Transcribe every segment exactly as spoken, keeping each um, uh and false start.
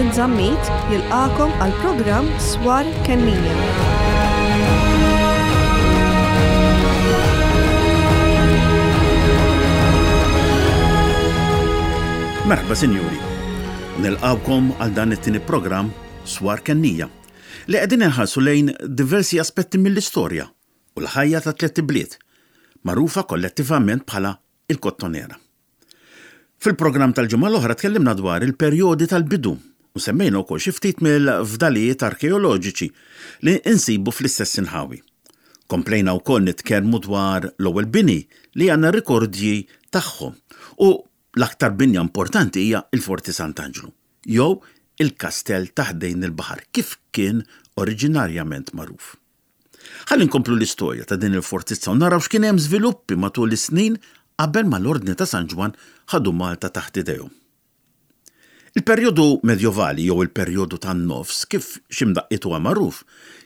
Vincent Zammit jilqagħkom għal programm Swar Kennija. Merħba sinjuri. Nilqawkom għal dan it-tieni programm Swar Kennija li qegħdin inħarsu lejn diversi aspetti mill-istorja u l-ħajja ta' tliet ibliet, magħrufa kollettivament bħala il-Kottonera. Fil-programm tal-ġimgħa l-oħra tkellimna dwar il-perjodi tal-bidu u semmejna wkoll xi ftit mill-fdalijiet arkeoloġiċi li insibu fl-istess inħawi. Komplejna wkoll nitkellmu dwar l-ewwel bini li għandna rikordji tagħhom u l-aktar binja importanti hija il-Forti Sant'Anġlu, jew il-kastell ta' ħdejn il-baħar kif kien oriġinarjament magħruf. Ħalli nkomplu l-istorja ta' din il-fortizza u naraw x'kien hemm żviluppi matul is-snin qabel ma l-Ordni ta' San Ġwann ħadu Malta taħt idejhom. Il-perjodu medjovali jew il-perjodu tan-nofs kif x'imdaqqiet huwa magħruf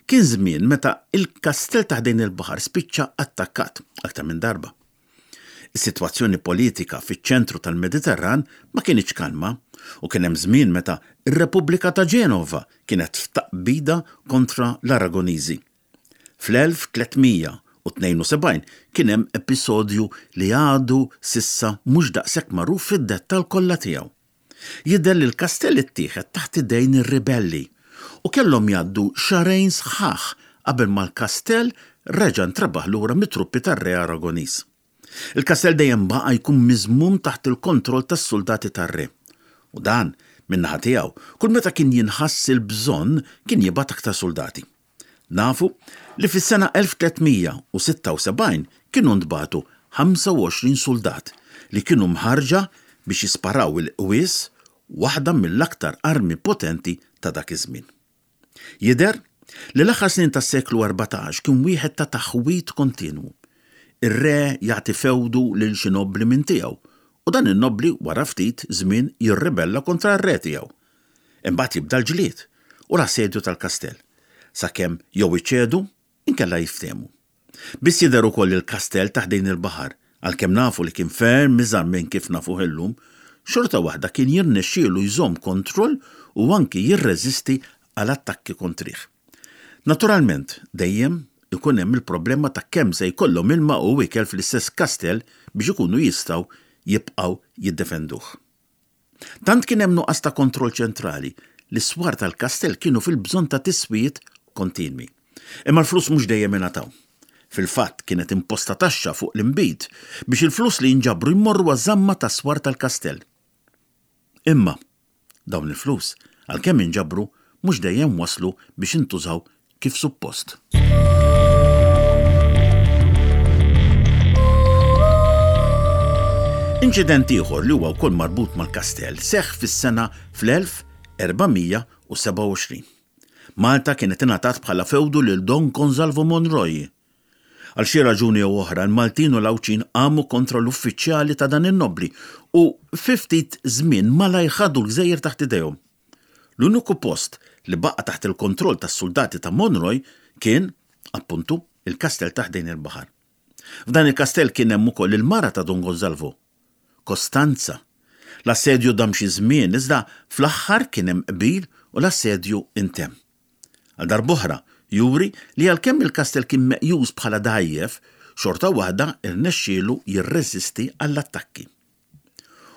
kien żmien meta il-kastell ta' ħdejn il-baħar spiċċa attakkat aktar minn darba. Is-sitwazzjoni politika fiċ-ċentru tal-Mediterran ma kienx kalma u kien hemm żmien meta ir-Repubblika ta' Ġenova kienet f'taqbida kontra l-Aragoniżi. Fl-elf tliet mija u tnejn u sebgħin kien hemm episodju li għadu s'issa mhux daqshekk magħruf fid-dettall kollha tiegħu. Jidher li l-kastell ittieħed taħt idejn ir-ribelli u kellhom jgħaddu xahrejn sħaħ qabel ma l-kastell reġa' ntrabaħ lura mit-truppi tar-Re Aragoniż. Il-kastell dejjem baqa' jkun miżmum taħt il-kontroll tas-soldati tar-re. U dan, min-naħa tiegħu, kull meta kien jinħass il-bżonn kien jibgħat aktar soldati. Nafu li fis-sena elf tliet mija u sitta u sebgħin kienu ntbagħtu ħamsa u għoxrin soldat li kienu mħarġa biex jisparaw il-qwies, waħda mill-aktar armi potenti ta' dak iż-żmien. Jidher li l-aħħar snin tas-seklu erbatax kien wieħed ta' taħwid kontinwu. Ir-re jagħti fewdu lil xi nobbli minn tiegħu u dan in-nobbli wara ftit żmien jirribella kontra r-re tiegħu. Imbagħad jibda l-ġlied u l-assedju tal-kastell, sakemm jew iċedu inkella jiftehmu. Biss jidher ukoll il-kastell ta' ħdejn il-baħar, għalkemm nafu li kien ferm iżgħar minn kif nafuh illum, xorta waħda kien jirnexxielu jżomm kontroll u anki jirreżisti għal attakki kontrih. Naturalment, dejjem ikun hemm il-problema ta' kemm se jkollhom ilma u ikel fl-istess kastell biex ikunu jistgħu jibqgħu jiddefenduh. Tant kien hemm nuqqas ta' kontroll ċentrali li s-swar tal-kastell kienu fil-bżonn ta' tiswijiet kontinwi. Imma l-flus mhux dejjem ingħataw. Fil-fatt kienet imposta taxxa fuq l-inbid biex il-flus li jinġabru jmorru għaż-żamma tas-swar tal-kastell. Imma dawn il-flus, għalkemm inġabru, mhux dejjem waslu biex intużaw kif suppost. Inċident ieħor li huwa wkoll marbut mal-kastell seħħ fis-sena fl-elf erba' mija u sebgħa u għoxrin. Malta kienet ingħatat bħala fewdu lil Don Gonzalvo Monroy. Għal xi raġuni jew oħra, l-Maltin u l-Għawdxin qamu kontra l-uffiċjali ta' dan in-nobbli u fi ftit żmien malajr ħadu l-gżejjer taħt idejhom. L-uniku post li baqa' taħt il-kontroll tas-soldati ta' Monroy kien, appuntu, il-kastell ta' ħdejn il-baħar. F'dan il-kastell kien hemm ukoll il-mara ta' Don Gonzalvo, Costanza. L-assedju dam xi żmien, iżda fl-aħħar kien hemm qbil u l-assedju intemm. Għal darb'oħra, juri li għalkemm il-kastell kien meqjus bħala dgħajjef, xorta waħda rnexxielu jirreżisti għall-attakki.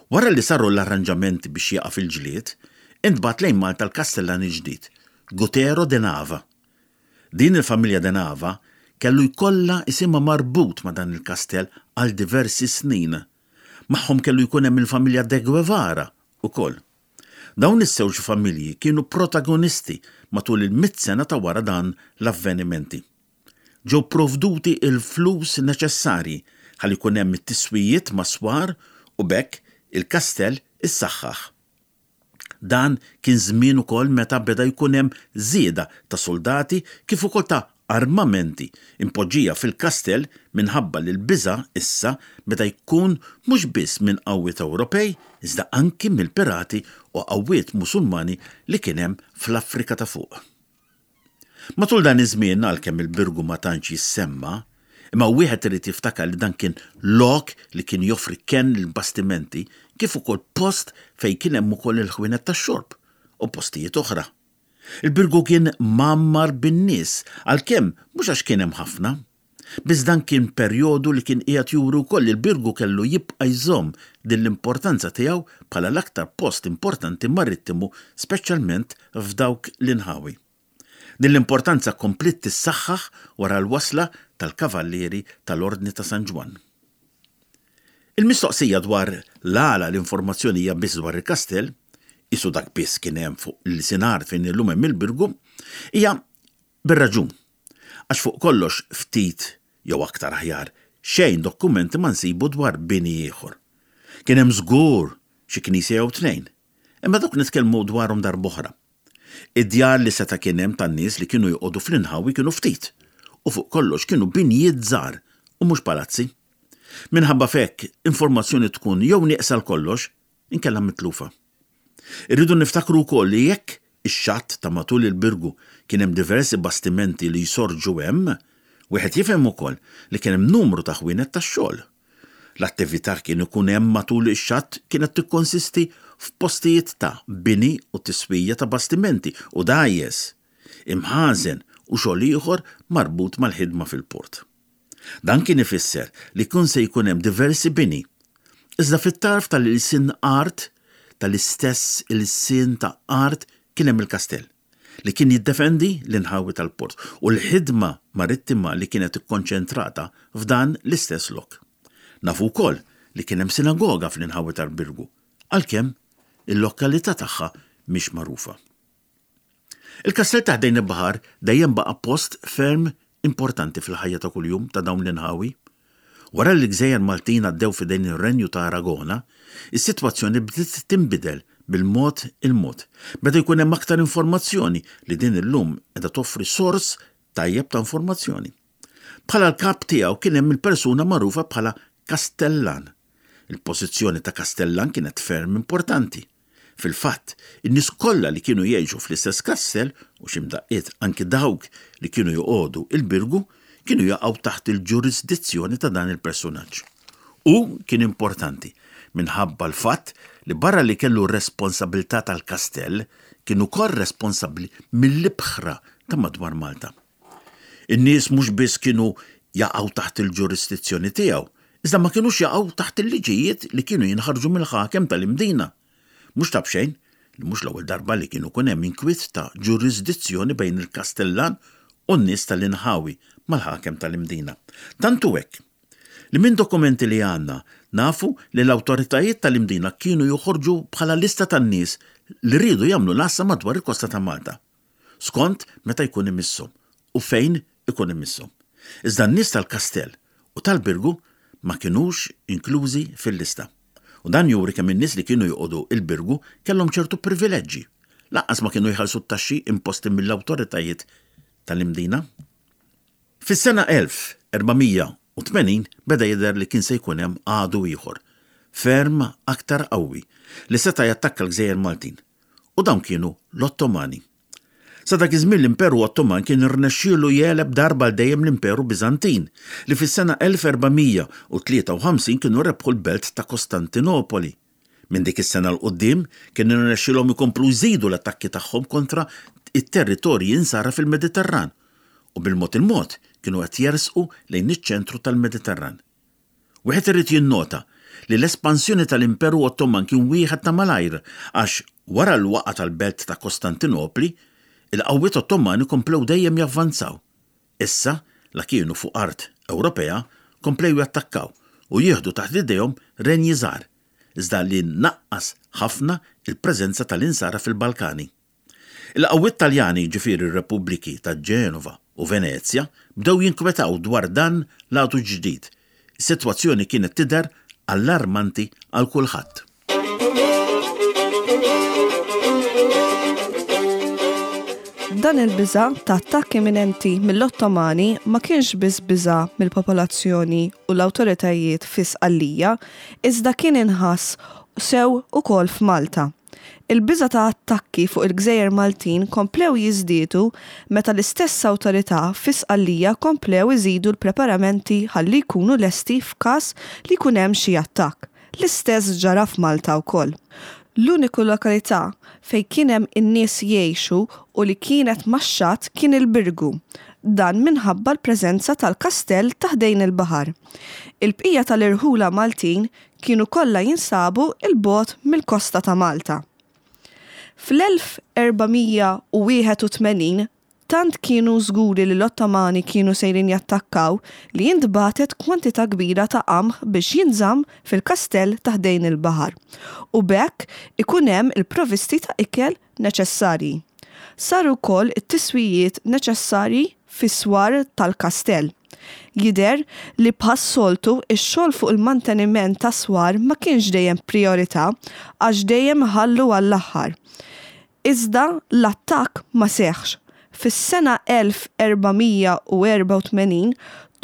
Wara li saru l-arranġamenti biex jieqaf il-ġlied, intbagħat lejn Malta l-kastellan il-ġdid, Gutero de Nava. Din il-familja de Nava kellu jkollha isimha marbut ma' dan il-kastell għal diversi snin. Magħhom kellu jkun hemm il-familja de Guevara ukoll. Dawn iż-żewġ familji kienu protagonisti matul il-mitt sena ta' wara dan l-avvenimenti. Ġew provduti il-flus neċessarji ħalli jkun hemm it-tiswijiet ma' swar u b'hekk il-kastell issaħħaħ. Dan kien żmien ukoll meta beda jkun hemm żieda ta' soldati kif ukoll ta' armamenti impoġġija fil-kastell minħabba li l-biża' issa beda jkun mhux biss minn qawwiet Ewropej, iżda anki mill-pirati u qawwiet Musulmani li kien hemm fl-Afrika ta' fuq. Matul dan iż-żmien, għalkemm il-Birgu ma tantx jissemma, imma wieħed irid jiftakar li dan kien lok li kien joffri kenn lill-bastimenti kif ukoll post fejn kien hemm ukoll il-ħwienet tax-xorb u postijiet oħra. Il-Birgu kien mgħammar bin-nies, għalkemm mhux għax kien hemm ħafna. Biss dan kien perjodu li kien qiegħed juri wkoll li l-Birgu kellu jibqa' jżomm din l-importanza tiegħu bħala l-aktar post importanti marittimu, speċjalment f'dawk l-inħawi. Din l-importanza kompliet tissaħħaħ wara l-wasla tal-Kavallieri tal-Ordni ta' San Ġwann. Il-mistoqsija dwar l-għala l-informazzjoni hija biss dwar il-kastell, qisu dak biss kien hemm fuq l-sinar fejn illum hemm il-Birgu, hija bir-raġun. Għax fuq kollox ftit jew aktar aħjar xejn dokumenti ma nsibu dwar bini ieħor. Kien hemm żgur xi knisja jew tnejn, imma dawk nitkellmu dwarhom darb'oħra. Id-djar li seta' kien hemm tan-nies li kienu joqogħdu fl-inħawi kienu ftit u fuq kollox kienu binjiet żgħar u mhux palazzi. Minħabba f'hekk informazzjoni tkun jew nieqsa għal kollox inkella mitlufa. Irridu niftakru wkoll li jekk ix-xatt ta' matul il-Birgu kien hemm diversi bastimenti li jsorġu hemm, wieħed jifhem ukoll li kien hemm numru ta' ħwienet tax-xogħol. L-attività kien ikun hemm matul ix-xatt kienet tikkonsisti f'postijiet ta' bini u tiswija ta' bastimenti u dgħajjes, imħażen u xogħol ieħor marbut mal-ħidma fil-port. Dan kien ifisser li kien se jkun hemm diversi bini. Iżda fit-tarf tal-ilsien art, tal-istess ilsien ta' art kien hemm il-kastell li kien jiddefendi l-inħawi tal-port u l-ħidma marittima li kienet ikkonċentrata f'dan l-istess lok. Nafu wkoll li kien hemm sinagoga fl-inħawi tal-Birgu, għalkemm il-lokalità tagħha mhix magħrufa. Il-kastell ta' ħdejn il-baħar dejjem baqa' post ferm importanti fil-ħajja ta' kuljum ta' dawn l-inħawi. Wara li l-gżejjer Maltin għaddew f'idejn ir-Renju ta' Aragona, is-sitwazzjoni bdiet tinbidel bil-mod il-mod. Beda jkun hemm aktar informazzjoni li din illum qiegħda toffri sors tajjeb ta' informazzjoni. Bħala l-kap tiegħu kien hemm il-persuna magħrufa bħala Kastellan. Il-pożizzjoni ta' Kastellan kienet ferm importanti. Fil-fatt, in-nies kollha li kienu jgħixu fl-istess kastell u xi mdaqqiet anki dawk li kienu joqogħdu il-Birgu kienu jaqgħu taħt il-ġurisdizzjoni ta' dan il-personaġġ. U kien importanti minħabba l-fatt li barra li kellu r-responsabilità tal-kastell, kien ukoll responsabbli mill-ibħra ta' madwar Malta. In-nies mhux biss kienu jaqgħu taħt il-ġurisdizzjoni tiegħu, iżda ma kinux jaqgħu taħt il-liġijiet li kienu jinħarġu mill-ħakem tal-Imdina. Mhux ta' b'xejn li mhux l-ewwel darba li kienu kun hemm inkwiet ta' ġurisdizzjoni bejn il-Kastellan u n-nies tal-inħawi mal-ħakem tal-Imdina. Tantu hekk li minn dokumenti li għandna nafu li l-awtoritajiet tal-Imdina kienu joħorġu bħala lista tan-nies li riedu jagħmlu l-għassa madwar il-kosta ta' Malta, skont meta jkun imisshom u fejn ikun imisshom. Iżda n-nies tal-Kastell u tal-Birgu ma kinux inklużi fil-lista. U dan juri kemm in-nies li kienu joqogħdu il-Birgu kellhom ċertu privileġġi. Lanqas ma kienu jħallsu t-taxxi imposti mill-awtoritajiet tal-Imdina. Fis-sena elf erba' mija u tmenin beda jidher li kien se jkun hemm għadu ieħor, ferm aktar qawwi, li seta' jattakka l-Gżejjer Maltin. U dawn kienu l-Ottomani. Sa dak iż-żmien l-Imperu Ottoman kien irnexxielu jegħleb darba għal dejjem l-Imperu Biżantin, li fis-sena elf erba' mija u tlieta u ħamsin kienu rebħu l-belt ta' Kostantinopoli. Minn dik is-sena 'l quddiem kien irnexxielhom ikomplu jżidu l-attakki tagħhom kontra it-territorji insara fil-Mediterran u bil-mod il-mod kienu qed jersqu lejn iċ-ċentru tal-Mediterran. Wieħed irid jinnota li l-espansjoni tal-Imperu Ottoman kien wieħed ta' malajr għax wara l-waqgħa tal-belt ta' Kostantinopli, il-qawwiet Ottomani komplew dejjem javvanzaw. Issa, la kienu fuq art Ewropea, komplew jattakkaw u jieħdu taħt idejhom renji żgħar, iżda li naqqas ħafna il-preżenza tal-insara fil-Balkani. Il-qawwiet Taljani, ġifieri r-Repubbliki ta' Ġenova u Venezja, bdew jinkwetaw dwar dan l-għadu ġdid. Is-sitwazzjoni kienet tidher allarmanti għal kulħadd. Dan il-biża' ta' attakk imminenti mill-Ottomani ma kienx biss biża' mill-popolazzjoni u l-awtoritajiet fi Sqallija, iżda kien inħass sew ukoll f'Malta. Il-biża' ta' attakki fuq il-Gżejjer Maltin komplew jiżdiedu meta l-istess awtorità fi Sqallija komplew iżidu l-preparamenti ħalli jkunu lesti f'każ li jkun hemm xi attakk. L-istess ġara f'Malta wkoll. L-uniku lokalità fejn kien hemm in-nies jgħixu u li kienet max-xatt kien il-Birgu. Dan minħabba l-preżenza tal-kastell ta' ħdejn il-baħar. Il-bqija tal-irħula Maltin kienu kollha jinsabu 'l bogħod mill-kosta ta' Malta. Fl-elf erba' mija u wieħed u tmenin tant kienu żguri li l-Ottomani kienu sejrin jattakkaw li jintbagħtet kwantità kbira ta' qamħ biex jinżamm fil-kastell ta' ħdejn il-baħar u b'hekk ikun hemm il-provvisti ta' ikel neċessarji. Saru wkoll it-tiswijiet neċessarji fis-swar tal-kastell. Jidher li bħas-soltu ix-xogħol fuq il-manteniment ta' swar ma kienx dejjem priorità għax dejjem ħallu għall-aħħar. Iżda l-attakk ma seħħx. Fis-sena elf erba' mija u erba' u tmenin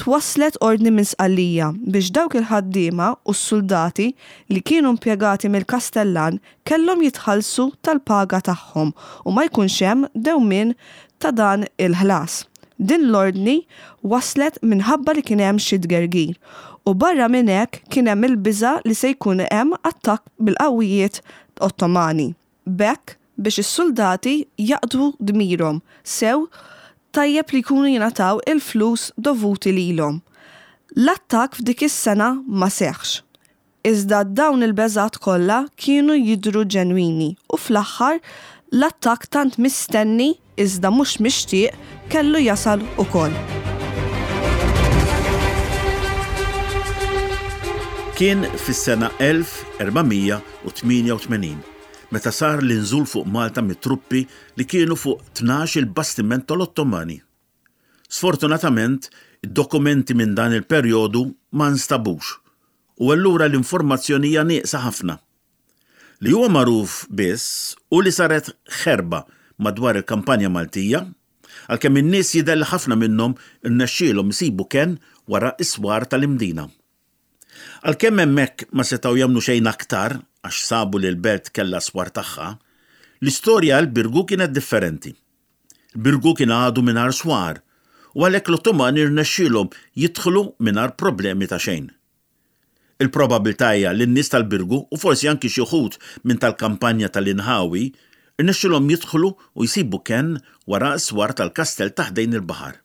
twasslet ordni minn Sqallija biex dawk il-ħaddiema u s-soldati li kienu impjegati mill-Kastellan kellhom jitħallsu tal-paga tagħhom u ma jkunx hemm dewmien ta' dan il-ħlas. Din l-ordni waslet minħabba li kien hemm xi tgergir u barra minn hekk kien hemm il-biża' li se jkun hemm attakk bil-qawwijiet Ottomani. B'hekk biex is-soldati jaqdu dmirhom sew tajjeb li jkunu jingħataw il-flus dovuti lilhom. L-attakk f'dik is-sena ma seħħx. Iżda dawn il-beżgħat kollha kienu jidhru ġenwini u fl-aħħar l-attakk tant mistenni iżda mhux mixtieq kellu jasal ukoll. Kien fis-sena elf erba' mija u tmienja u tmenin meta sar l-inżul fuq Malta mit-truppi li kienu fuq tnax il-bastiment tal-Ottomani. Sfortunatament, id-dokumenti minn dan il-perjodu ma nstabux u allura l-informazzjoni hija nieqsa ħafna. Li huwa magħruf biss u li saret ħerba madwar il-kampanja Maltija, għalkemm in-nies jidher li ħafna minnhom irnexxielhom isibu kenn wara s-swar tal-Imdina. Għalkemm hemmhekk ma setgħu jagħmlu xejn aktar għax sabu li l-belt kellha swar tagħha, l-istorja għal Birgu kienet differenti. Birgu kien għadu mingħajr swar u għalhekk l-Ottomani rnexxielhom jidħlu mingħajr problemi ta' xejn. Il-probabilità hija li n-nies tal-Birgu u forsi anki xi wħud minn tal-kampanja tal-Inħawi rnexxielhom jidħlu u jsibu kenn wara s-swar tal-kastell ta' ħdejn il-baħar.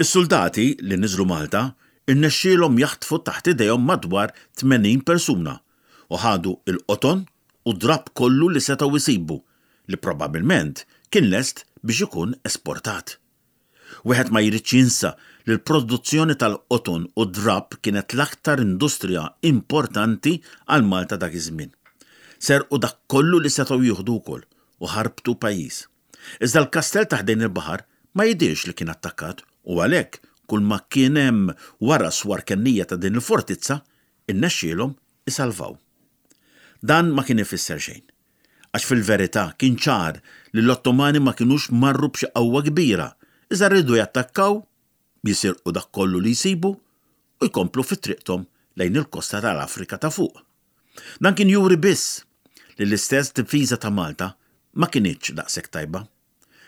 Is-soldati li niżlu Malta irnexxielhom jaħtfu taħt idejhom madwar tmenin persuna u ħadu il-qoton u drab kollu li setgħu jsibu li probabbilment kien lest biex ikun esportat. Wieħed ma jridx jinsa li l-produzzjoni tal-qoton u drab kienet l-aktar industrija importanti għal Malta dak iż-żmien. Serqu dak kollu li setgħu jieħdu wkoll u ħarbtu pajjiż. Iżda l-kastell ta' ħdejn il-baħar ma jidhirx li kien attakkat u għalhekk kull ma kien hemm wara swar kennija ta' din il-fortizza innexxielhom isalvaw. Dan ma kien ifisser xejn, għax fil-verità kien ċar li l-Ottomani ma kinux marru b'xi qawwa kbira, iżda rridu jattakkaw, jisirqu dak kollu li jsibu u jkomplu fi triqthom lejn il-kosta tal-Afrika ta' fuq. Dan kien juri biss li l-istess difiża ta' Malta ma kinitx daqshekk tajba.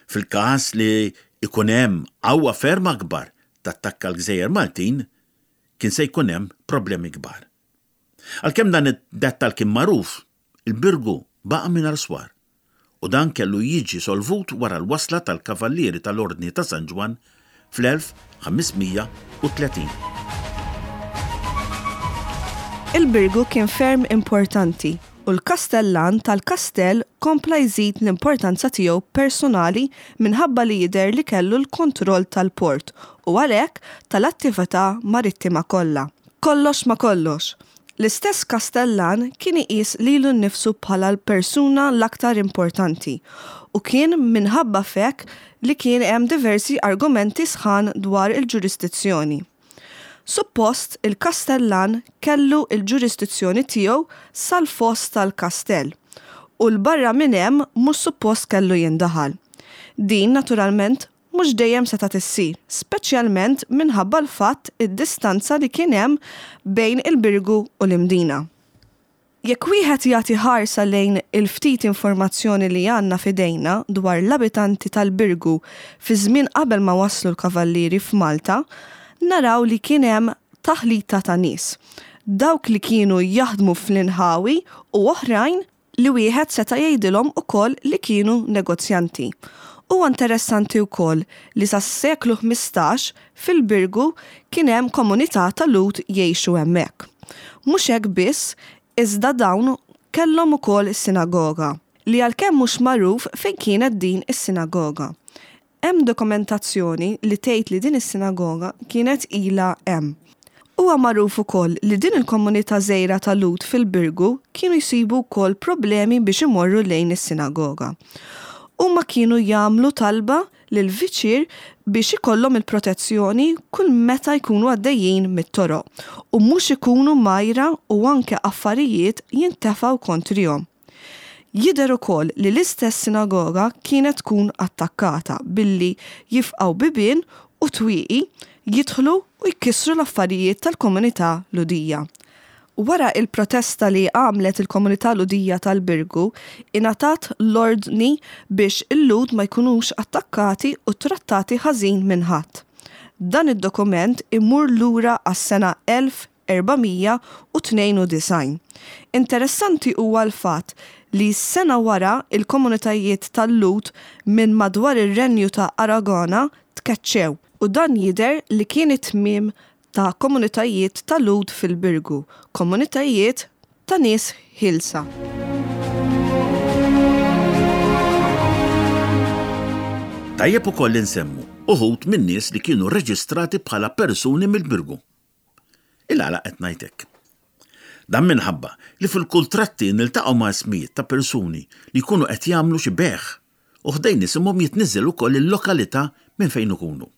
Fil-każ li ikun hemm qawwa ferm akbar tattakka l-Gżejjer Maltin, kien se jkun hemm problemi kbar. Għalkemm dan id-dettal kien magħruf, il-Birgu baqa' mingħajr swar u dan kellu jiġi solvut wara l-wasla tal-Kavallieri tal-Ordni ta' San Ġwann fl-elf ħames mija u tletin. Il-Birgu kien ferm importanti u l-Kastellan tal-Kastell kompla jżid l-importanza tiegħu personali minħabba li jidher li kellu l-kontroll tal-port u għalhekk tal-attività marittima kollha. Kollox ma kollox, l-istess Kastellan kien iqis lilu nnifsu bħala l-persuna l-aktar importanti u kien minħabba f'hekk li kien hemm diversi argumenti sħan dwar il-ġurisdizzjoni. Suppost il-Kastellan kellu il-ġurisdizzjoni tiegħu sal-foss tal-kastell u l-barra minn hemm mhux suppost kellu jindaħal. Din naturalment mhux dejjem setgħet issir, speċjalment minħabba l-fatt id-distanza li kien hemm bejn il-Birgu u l-Imdina. Jekk wieħed jagħti ħarsa lejn il-ftit informazzjoni li għandna f'idejna dwar l-abitanti tal-Birgu fi żmien qabel ma waslu l-kavallieri f'Malta, naraw li kien hemm taħlita ta' nies. Dawk li kienu jaħdmu fl-inħawi u oħrajn li wieħed seta' jgħidilhom ukoll li kienu negozjanti. Huwa interessanti wkoll li sas-seklu ħmistax fil-Birgu kien hemm komunità ta' Lhud jgħixu hemmhekk. Mhux hekk biss, iżda dawn kellhom ukoll sinagoga, li għalkemm mhux magħruf fejn kienet din is-sinagoga. Hemm dokumentazzjoni li tgħid li din is-sinagoga kienet ilha hemm. Huwa magħruf ukoll li din il-komunità żgħira ta' Lhud fil-Birgu kienu jsibu wkoll problemi biex imorru lejn is-sinagoga. Huma kienu jagħmlu talba lill-viċier biex ikollhom il-protezzjoni kull meta jkunu għaddejjin mit-toroq u mhux ikunu mgħajra u anke affarijiet jintefgħu kontrihom. Jidher ukoll li l-istess sinagoga kienet tkun attakkata billi jifqgħu bibien u twieqi, jidħlu u jkissru l-affarijiet tal-komunità Lhudija. Wara il-protesta li għamlet il-komunità Lhudija tal-Birgu, ingħatat l-ordni biex il-Lhud ma jkunux attakkati u trattati ħażin minn ħadd. Dan id-dokument imur lura għas-sena elf erba' mija u tnejn u disgħin. Interessanti huwa l-fatt li sena wara il-komunitajiet tal-Lhud minn madwar ir-renju ta' Aragona tkeċċew u dan jidher li kien it-tmiem ta' komunitajiet tal-Lhud fil-Birgu, komunitajiet ta' nies ħielsa. Tajjeb ukoll insemmu uħud minn nies li kienu reġistrati bħala persuni mill-Birgu. Il-għala qed ngħid hekk? Dan minħabba li fil-kuntratti niltaqgħu ma' ismijiet ta' persuni li jkunu qed jagħmlu xi bejgħ u ħdejn isimhom jitniżżel ukoll il-lokalità minn fejn ikunu.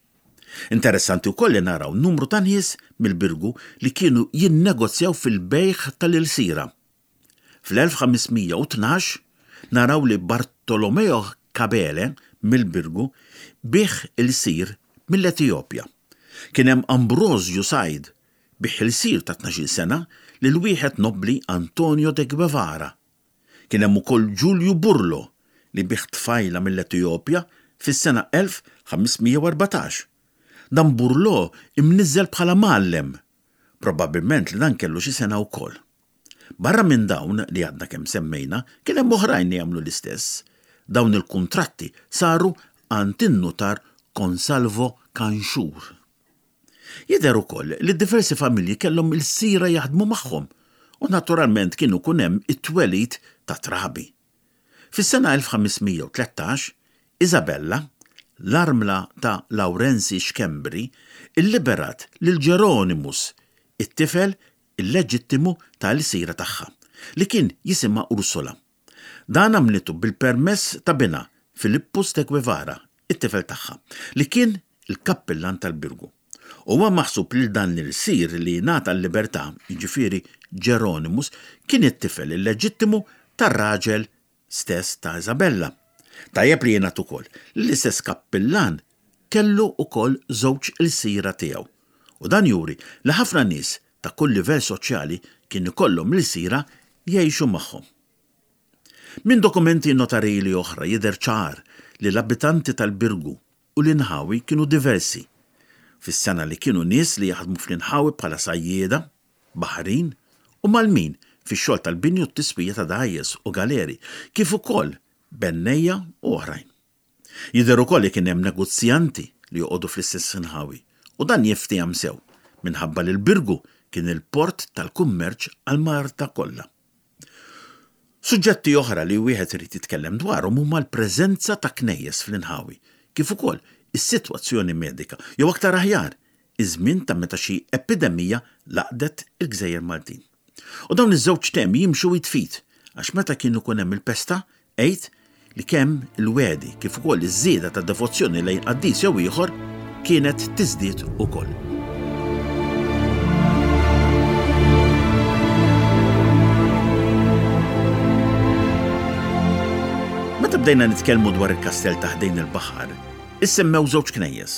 Interessanti wkoll li naraw numru ta' nies mill-Birgu li kienu jinnegozjaw fil-bejgħ tal-ilsira. Fl-elf ħames mija u tnax naraw li Bartolomeo Cabele mill-Birgu biegħ ilsir mill-Etjopja. Kien hemm Ambrosio Said biegħ ilsir ta' tnax-il sena lil wieħed nobli Antonio de Guevara. Kien hemm ukoll Giulio Burlo li biegħ tfajla mill-Etjopja fis-sena elf ħames mija u erbatax. Dan Burlo imniżżel bħala mgħallem, probabbilment li dan kellu xi sena wkoll. Barra minn dawn li għadna kemm semmejna, kien hemm oħrajn li jagħmlu l-istess. Dawn il-kuntratti saru għand in-nutar Consalvo Canxur. Jidher ukoll li diversi familji kellhom il-sira jaħdmu magħhom u naturalment kienu kun hemm it-twelid ta' trabi. Fis-sena elf ħames mija u tlettax, Isabella, l-armla ta' Laurenzi Schembri, illiberat lil Geronimus, it-tifel illeġittimu tal-sira tagħha, li kien jisimha Ursula. Dan għamlitu bil-permess ta' binha Filippus de Guevara, it-tifel tagħha, li kien il-kappillan tal-Birgu. Huwa maħsub li dan l-sir li ngħata l-libertà, jiġifieri Geronimus, kien it-tifel illeġittimu tar-raġel stess ta' Isabella. Tajjeb li jingħad ukoll li l-istess kappillan kellu ukoll żewġ il-sira tiegħu. U dan juri li ħafna nies ta' kull livell soċjali kien ikollhom l-sira jgħixu magħhom. Minn dokumenti notarili oħra jidher ċar li l-abitanti tal-Birgu u l-inħawi kienu diversi. Fis-sena li kienu nies li jaħdmu fl-inħawi bħala sajjieda, baħrin u malmin fix-xogħol tal-bini u t-tiswija ta' dgħajjes u galeri, kif ukoll bennejja u oħrajn. Jidher ukoll li kien hemm negozjanti li joqogħdu fl-istess inħawi u dan jiftihom sew minħabba li l-Birgu kien il-port tal-kummerċ għal Malta kollha. Suġġetti oħra li wieħed irid jitkellem dwarhom huma l-preżenza ta' knejjes fl-inħawi, kif ukoll is-sitwazzjoni medika, jew aktar aħjar, iż-żmien ta' meta xi epidemija laqdet il-Gżejjer Maltin. U dawn iż-żewġ temi jimxu jitfit, għax meta kien ikun hemm il-pesta, għid li kemm il-wedi kif ukoll iż-żieda ta' devozzjoni lejn qaddis jew ieħor kienet tiżdied ukoll. Meta bdejna nitkellmu dwar il-kastell ta' ħdejn il-baħar, issemmew żewġ knejjes,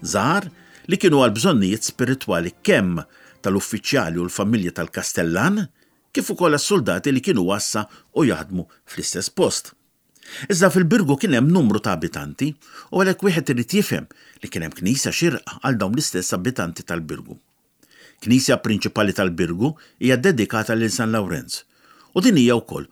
żgħar li kienu għal bżonnijiet spiritwali kemm tal-uffiċjali u l-familja tal-kastellan, kif ukoll għas-soldati li kienu għassa u jaħdmu fl-istess post. Iżda fil-Birgu kien hemm numru ta' abitanti u għalhekk wieħed irid jifhem li kien hemm knisja xirqa għal dawn l-istess abitanti tal-Birgu. Knisja prinċipali tal-Birgu hija dedikata lil San Lawrenz u din hija wkoll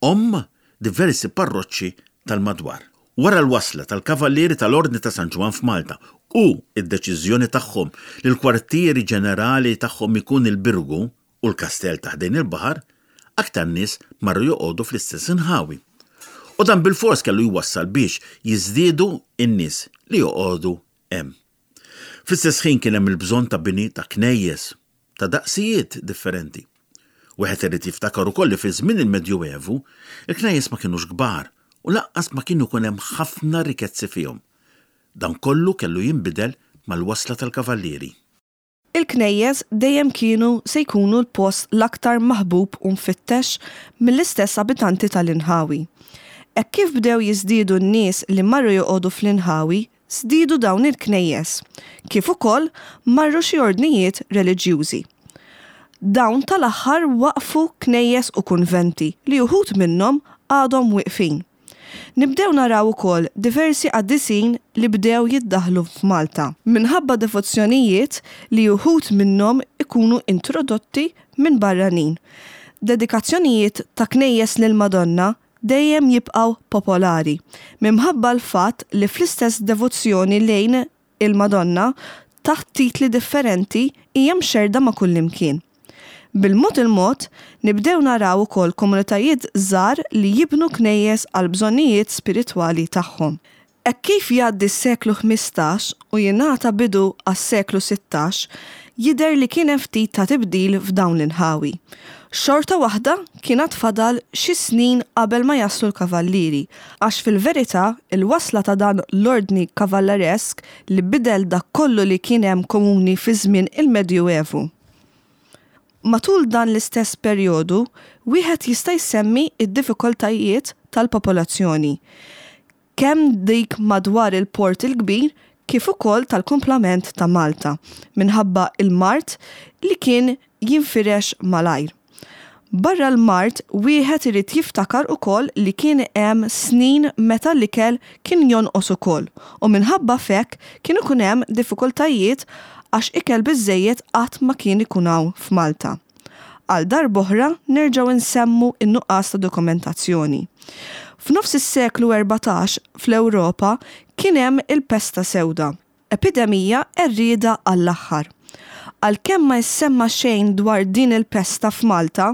omm diversi parroċċi tal-madwar. Wara l-wasla tal-Kavallieri tal-Ordni ta' San Ġwann f'Malta u d-deċiżjoni tagħhom li l-kwartieri ġenerali tagħhom ikun il-Birgu u l-kastell ta' ħdejn il-baħar, aktar nies marru joqogħdu fl-istess inħawi. U dan bilfors kellu jwassal biex jiżdiedu n-nies li joqogħdu hemm. Fl-istess ħin kien hemm il-bżonn ta' bini ta' knejjes ta' daqsijiet differenti. Wieħed irid jiftakar ukoll li fi żmien il-Medjuevu, il-knejjes ma kinux kbar u lanqas ma kienu jkun hemm ħafna rikezzi fihom. Dan kollu kellu jinbidel mal-wasla tal-Kavallieri. Il-knejjes dejjem kienu se jkunu l-post l-aktar maħbub u mfittex mill-istess abitanti tal-inħawi. Hekk kif bdew jiżdiedu n-nies li marru joqogħdu fl-inħawi, żdiedu dawn il-knejjes, kif ukoll marru xi ordnijiet reliġjużi. Dawn tal-aħħar waqqfu knejjes u kunventi li uħud minnhom għadhom wieqfin. Nibdew naraw ukoll diversi qaddisin li bdew jiddaħħlu f'Malta minħabba devozzjonijiet li uħud minnhom ikunu introdotti minn barranin. Dedikazzjonijiet ta' knejjes lill-Madonna dejjem jibqgħu popolari minħabba l-fatt li fl-istess devozzjoni lejn il-Madonna taħt titli differenti hija mxerrda ma' kullimkien. Bil-mod il-mod, nibdew naraw ukoll komunitajiet żgħar li jibnu knejjes għall-bżonnijiet spiritwali tagħhom. Hekk kif jgħaddi s-seklu ħmistax u jingħata bidu għas-seklu sittax, jidher li kien hemm ftit ta' tibdil f'dawn l-inħawi. Xorta waħda kien għad fadal xi snin qabel ma jaslu l-kavallieri, għax fil-verità il-wasla ta' dan l-ordni kavalleresk li bidel dak kollu li kien hemm komuni fi żmien il-Medjuevu. Matul dan l-istess perjodu, wieħed jista' jsemmi d-diffikultajiet tal-popolazzjoni, kemm dik madwar il-Port il-Kbir kif ukoll tal-kumplament ta' Malta, minħabba l-mard li kien jinfirex malajr. Barra l-mard, wieħed irid jiftakar ukoll li kien hemm snin meta l-ikel kien jonqos ukoll u minħabba f'hekk kien ikun hemm diffikultajiet għax ikel biżżejjed qatt ma kien ikun hawn f'Malta. Għal darb'oħra nerġgħu nsemmu n-nuqqas ta' dokumentazzjoni. F'nofs is-seklu erbatax fl-Ewropa kien hemm il-pesta sewda, epidemija qerrieda għall-aħħar. Għalkemm ma jissemma xejn dwar din il-pesta f'Malta,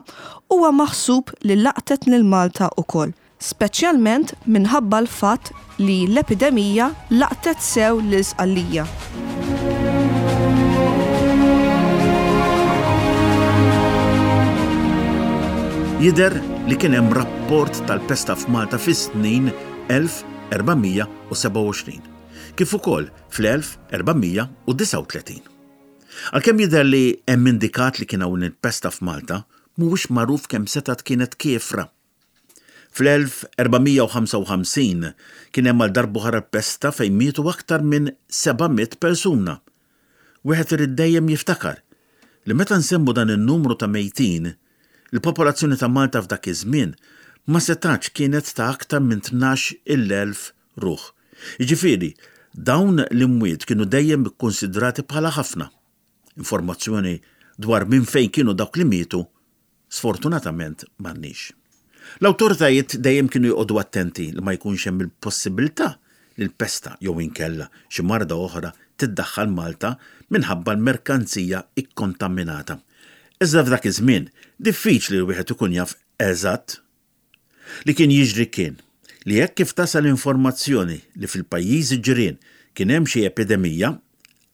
huwa maħsub li laqtet lil Malta ukoll, speċjalment minħabba l-fatt li l-epidemija laqtet sew lil Sqallija. Jidher li kien hemm rapport tal-pesta f'Malta fis-snin elf erba' mija u sebgħa u għoxrin, kif ukoll fl-elf erba' mija u disgħa u tletin. Għalkemm jidher li hemm indikat li kien hawn il-pesta f'Malta, mhuwiex magħruf kemm setgħet kienet kiefra. Fl-elf erba' mija u ħamsa u ħamsin kien hemm għal darb'oħra l-pesta fejn mietu aktar minn seba' mitt persuna. Wieħed irid dejjem jiftakar li meta nsemmu dan in-numru ta' mejtin, il-popolazzjoni ta' Malta f'dak iż-żmien ma setgħetx kienet ta' aktar minn tnax il-elf ruħ. Jiġifieri, dawn l-imwiet kienu dejjem ikkunsidrati bħala ħafna. Informazzjoni dwar minn fejn kienu dawk li mietu, sfortunatament m'għandniex. L-awtoritajiet dejjem kienu joqogħdu attenti li ma jkunx hemm il-possibilità li l-pesta jew inkella xi marda oħra tiddaħħal Malta minħabba l-merkanzija ikkontaminata. Iżda f'dak iż-żmien diffiċli li wieħed ikun jaf eżatt. Li kien jiġri kien li hekk kif tasal informazzjoni li fil-pajjiżi ġirien kien hemm xi epidemija,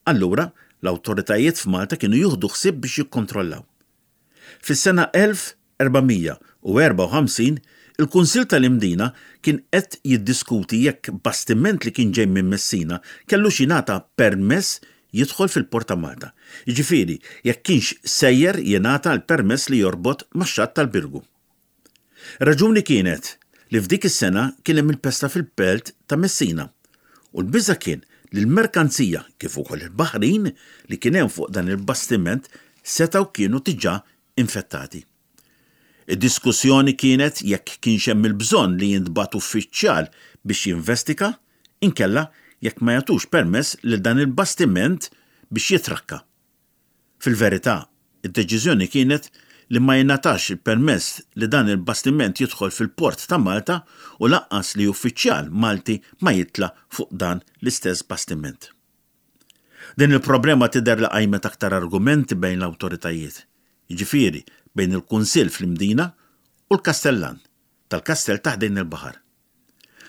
allura l-awtoritajiet f'Malta kienu jieħdu ħsieb biex jikkontrollaw. Fis-sena elf erba' mija u erbgħa u ħamsin, il-Kunsill tal-Imdina kien qed jiddiskuti jekk bastiment li kien ġej minn Messina kellux jingħata permess jidħol fil-Port ta' Malta. Jiġifieri, jekk kienx sejjer jingħata l-permess li jorbot max-xatt tal-Birgu. Raġuni kienet li f'dik is-sena kien hemm il-pesta fil-belt ta' Messina u l-biża' kien li l-merkanzija kif ukoll il-baħrin li kien hemm fuq dan il-bastiment setgħu kienu diġà infettati. Id-diskussjoni kienet jekk kienx hemm il-bżonn li jintbagħat uffiċjal biex jinvestiga, inkella jekk ma jagħtux permess lil dan il-bastiment biex jitrakka. Fil-verità, id-deċiżjoni kienet li ma jingħatax il-permess li dan il-bastiment jidħol fil-port ta' Malta u lanqas li uffiċjal Malti ma jitla' fuq dan l-istess bastiment. Din il-problema tidher li qajmet aktar argumenti bejn l-awtoritajiet, jiġifieri bejn il-Kunsill fl-Imdina u l-Kastellan tal-Kastell ta' ħdejn il-baħar.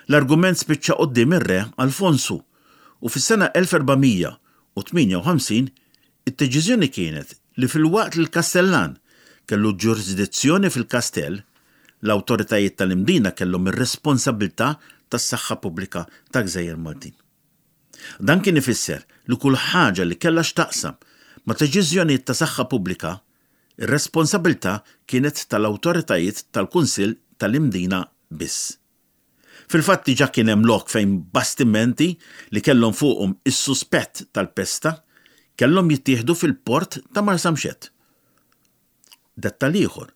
L-argument spiċċa quddiem ir-Re Alfonsu u fis-sena elf erba' mija u tmienja u ħamsin id-deċiżjoni kienet li filwaqt li l-Kastellan kellu ġurisdizzjoni fil-kastell, l-awtoritajiet tal-Imdina kellhom ir-responsabilità tas-saħħa pubblika ta' Gżejjer Maltin. Dan kien ifisser li kull ħaġa li kellha x'taqsam ma' deċiżjonijiet ta' saħħa pubblika, ir-responsabilità kienet tal-awtoritajiet tal-Kunsill tal-Imdina biss. Fil-fatt diġà kien hemm lok fejn bastimenti li kellhom fuqhom is-suspett tal-pesta kellhom jittieħdu fil-port ta' Marsamxett. Dettal ieħor,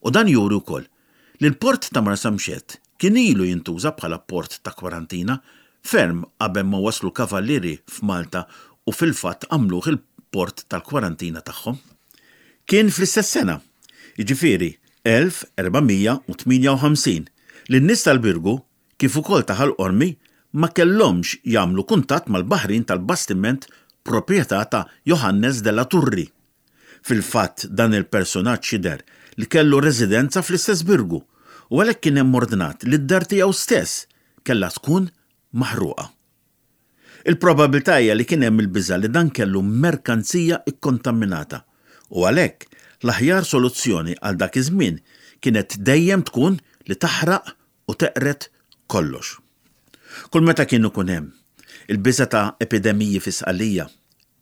u dan juri wkoll li l-port ta' Marsamxett kien ilu jintuża bħala port ta' kwarantina ferm qabel ma waslu kavallieri f'Malta u fil-fatt għamluh il-port tal-kwarantina tagħhom. Kien fl-istess sena, jiġifieri elf erba' mija u tmienja u ħamsin, li n-nies tal-Birgu kif ukoll ta' Ħal Qormi ma kellhomx jagħmlu kuntatt mal-baħrin tal-bastiment proprjetà ta' Johannes della Turri. Fil-fatt dan il-personaġġ jidher li kellu residenza fl-istess Birgu u għalhekk kien hemm ordnat li d-dar tiegħu stess kellha tkun maħruqa. Il-probabilità hija li kien hemm il-biża' li dan kellu merkanzija ikkontaminata u għalhekk l-aħjar soluzzjoni għal dak iż-żmien kienet dejjem tkun li taħraq u teqret kollox. Kull meta kien ikun hemm il-biża' ta' epidemiji fi Sqallija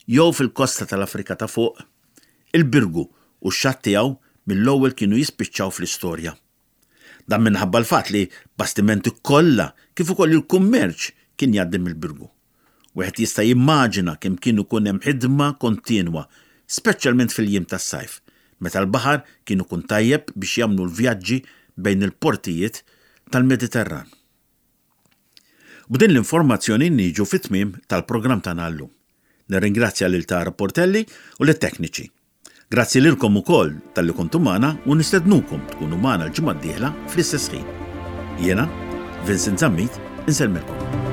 jew fil-kosta tal-Afrika ta' fuq, il-Birgu u x-xatt tiegħu mill-ewwel kienu jispiċċaw fl-istorja. Dan minħabba l-fatt li bastimenti kollha kif ukoll il-kummerċ kien jgħaddi mill-Birgu. Wieħed jista' jimmaġina kemm kien ikun hemm ħidma kontinwa, speċjalment fil-jiem tas-sajf, meta l-baħar kien ikun tajjeb biex jagħmlu l-vjaġġi bejn il-portijiet tal-Mediterran. B'din l-informazzjoni niġu fit-tmiem tal-programm tagħna llum. Nirringrazzja lil Tara Portelli u lit-tekniċi. Grazzi lilkom ukoll talli kontu magħna u nistednukom tkunu magħna l-ġimgħa d-dieħla fl-istess ħin. Jiena, Vincent Zammit, insellmilkom.